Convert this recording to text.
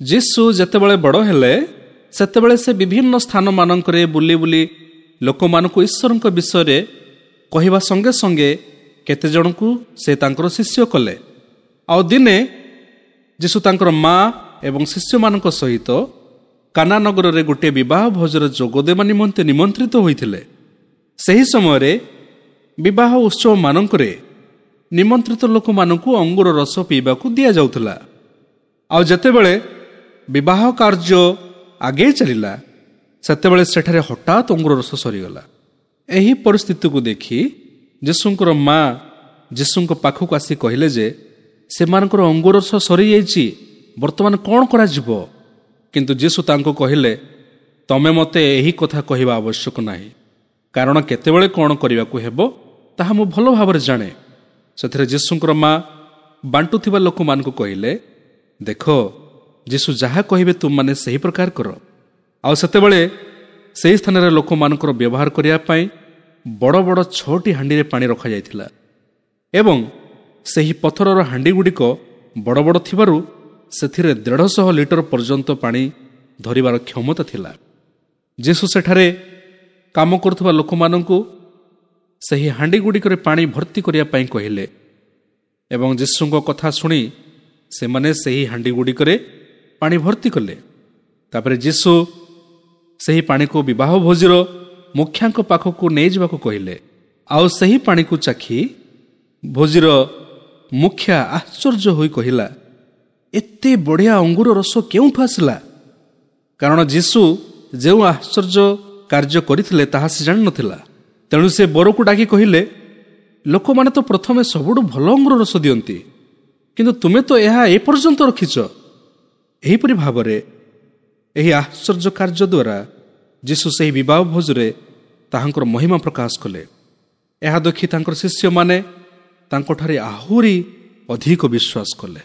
ଯୀଶୁ ଯେତେବେଳେ ବଡ଼ ହେଲେ, ସେତେବେଳେ ସେ ବିଭିନ୍ନ ସ୍ଥାନମାନଙ୍କରେ ବୁଲି ବୁଲି ଲୋକମାନଙ୍କୁ ଈଶ୍ୱରଙ୍କ ବିଷୟରେ କହିବା ସଙ୍ଗେ ସଙ୍ଗେ କେତେଜଣଙ୍କୁ ସେ ତାଙ୍କର ଶିଷ୍ୟ କଲେ। ଆଉ ଦିନେ ଯୀଶୁ ତାଙ୍କର ମା ଏବଂ ଶିଷ୍ୟମାନଙ୍କ ସହିତ କାନା ନଗରରେ ଗୋଟିଏ ବିବାହ ଭୋଜରେ ଯୋଗ ଦେବା ନିମନ୍ତେ ନିମନ୍ତ୍ରିତ ହୋଇଥିଲେ। ସେହି ସମୟରେ ବିବାହ ଉତ୍ସବମାନଙ୍କରେ ନିମନ୍ତ୍ରିତ ଲୋକମାନଙ୍କୁ ଅଙ୍ଗୁର ରସ ପିଇବାକୁ ଦିଆଯାଉଥିଲା। ଆଉ ଯେତେବେଳେ ବିବାହ କାର୍ଯ୍ୟ ଆଗେଇ ଚାଲିଲା, ସେତେବେଳେ ସେଠାରେ ହଠାତ୍ ଅଙ୍ଗୁର ରସ ସରିଗଲା। ଏହି ପରିସ୍ଥିତିକୁ ଦେଖି ଯୀଶୁଙ୍କର ମା ଯୀଶୁଙ୍କ ପାଖକୁ ଆସି କହିଲେ ଯେ ସେମାନଙ୍କର ଅଙ୍ଗୁର ରସ ସରିଯାଇଛି, ବର୍ତ୍ତମାନ କ'ଣ କରାଯିବ? କିନ୍ତୁ ଯୀଶୁ ତାଙ୍କୁ କହିଲେ, ତମେ ମୋତେ ଏହି କଥା କହିବା ଆବଶ୍ୟକ ନାହିଁ, କାରଣ କେତେବେଳେ କ'ଣ କରିବାକୁ ହେବ ତାହା ମୁଁ ଭଲ ଭାବରେ ଜାଣେ। ସେଥିରେ ଯୀଶୁଙ୍କର ମା ବାଣ୍ଟୁଥିବା ଲୋକମାନଙ୍କୁ କହିଲେ, ଦେଖ, ଯୀଶୁ ଯାହା କହିବେ ତୁମମାନେ ସେହି ପ୍ରକାର କର। ଆଉ ସେତେବେଳେ ସେହି ସ୍ଥାନରେ ଲୋକମାନଙ୍କର ବ୍ୟବହାର କରିବା ପାଇଁ ବଡ଼ ବଡ଼ 6ଟି ହାଣ୍ଡିରେ ପାଣି ରଖାଯାଇଥିଲା ଏବଂ ସେହି ପଥରର ହାଣ୍ଡିଗୁଡ଼ିକ ବଡ଼ ବଡ଼ ଥିବାରୁ ସେଥିରେ 150 ଲିଟର ପର୍ଯ୍ୟନ୍ତ ପାଣି ଧରିବାର କ୍ଷମତା ଥିଲା। ଯୀଶୁ ସେଠାରେ କାମ କରୁଥିବା ଲୋକମାନଙ୍କୁ ସେହି ହାଣ୍ଡିଗୁଡ଼ିକରେ ପାଣି ଭର୍ତ୍ତି କରିବା ପାଇଁ କହିଲେ ଏବଂ ଯୀଶୁଙ୍କ କଥା ଶୁଣି ସେମାନେ ସେହି ହାଣ୍ଡିଗୁଡ଼ିକରେ ପାଣି ଭର୍ତ୍ତି କଲେ। ତାପରେ ଯୀଶୁ ସେହି ପାଣିକୁ ବିବାହ ଭୋଜିର ମୁଖିଆଙ୍କ ପାଖକୁ ନେଇଯିବାକୁ କହିଲେ। ଆଉ ସେହି ପାଣିକୁ ଚାଖି ଭୋଜିର ମୁଖିଆ ଆଶ୍ଚର୍ଯ୍ୟ ହୋଇ କହିଲା, ଏତେ ବଢ଼ିଆ ଅଙ୍ଗୁର ରସ କେଉଁଠୁ ଆସିଲା? କାରଣ ଯୀଶୁ ଯେଉଁ ଆଶ୍ଚର୍ଯ୍ୟ କାର୍ଯ୍ୟ କରିଥିଲେ ତାହା ସେ ଜାଣିନଥିଲା। ତେଣୁ ସେ ବରକୁ ଡାକି କହିଲେ, ଲୋକମାନେ ତ ପ୍ରଥମେ ସବୁଠୁ ଭଲ ଅଙ୍ଗୁର ରସ ଦିଅନ୍ତି, କିନ୍ତୁ ତୁମେ ତ ଏହା ଏପର୍ଯ୍ୟନ୍ତ ରଖିଛ। ଏହିପରି ଭାବରେ ଏହି ଆଶ୍ଚର୍ଯ୍ୟ କାର୍ଯ୍ୟ ଦ୍ୱାରା ଯୀଶୁ ସେହି ବିବାହ ଭୋଜରେ ତାହାଙ୍କର ମହିମା ପ୍ରକାଶ କଲେ। ଏହା ଦେଖି ତାଙ୍କର ଶିଷ୍ୟମାନେ ତାଙ୍କଠାରେ ଆହୁରି ଅଧିକ ବିଶ୍ୱାସ କଲେ।